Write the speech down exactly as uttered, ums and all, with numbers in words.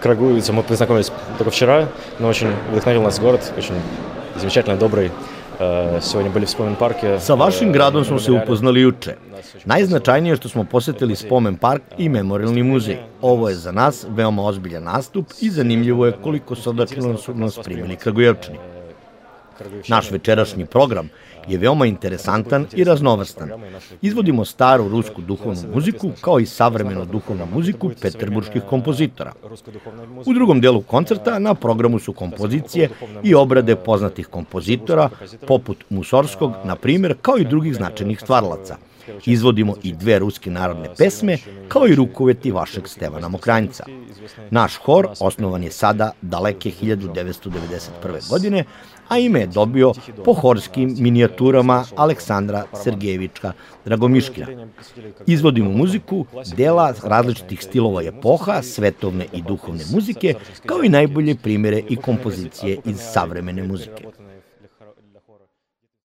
Крагуевицей мы познакомились только вчера, но очень вдохновил нас город, очень замечательно, добрый. Сегодня были в Spomen parku. Sa vašim gradom smo se upoznali juče. Najznačajnije je što smo posetili Spomen park i Memorialni muzej. Ovo je za nas veoma ozbiljan nastup i zanimljivo je koliko srdačno su nas primili Kragujevčani. Naš večerašnji program je veoma interesantan i raznovrstan. Izvodimo staru rusku duhovnu muziku kao i savremenu duhovnu muziku peterburških kompozitora. U drugom delu koncerta na programu su kompozicije i obrade poznatih kompozitora, poput Musorskog, na primjer, kao i drugih značajnih stvaralaca. Izvodimo i dve ruske narodne pesme, kao i rukoveti vašeg Stevana Mokranjca. Naš hor osnovan je sada daleke hiljadu devetsto devedeset prve. godine, a ime je dobio po horskim minijaturama Aleksandra Sergejevička Dragomiškina. Izvodimo muziku dela različitih stilova epoha, svetovne i duhovne muzike, kao i najbolje primjere i kompozicije iz savremene muzike.